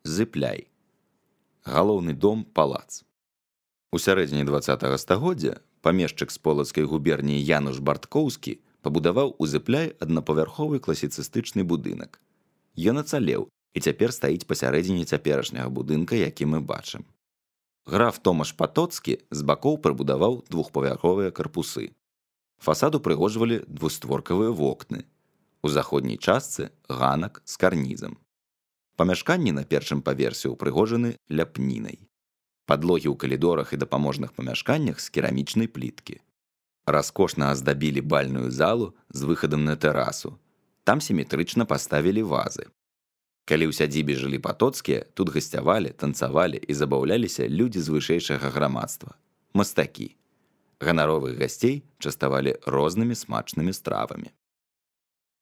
Зыпляй. Галоўны дом палац. У сярэдзіне 20 стагоддзя памешчык з полацкай губерніі Януш Барткоўскі пабудаваў у Зыпляй аднапавярховы класіцыстычны будынак. Ён ацалеў і цяпер стаіць пасярэдзіне цяперашняга будынка, які мы бачым. Граф Томаш Патоцкі з бакоў прыбудаваў двухпавярховыя карпусы. Фасад упрыгожвалі двустворкавыя вокны. У заходняй частцы ганак з карнізам. Памяшканні на першым паверсе ўпрыгожаны ляпнінай. Падлогі ў калідорах і дапаможных памяшканнях з керамічнай пліткі. Раскошна аздабілі бальную залу з выхадам на тэрасу. Там сіметрычна паставілі вазы. Калі ў сядзібе жылі Патоцкія, тут гасцявалі, танцавалі і забаўляліся людзі з вышэйшага грамадства – мастакі. Ганаровых гасцей частавалі рознымі смачнымі стравамі.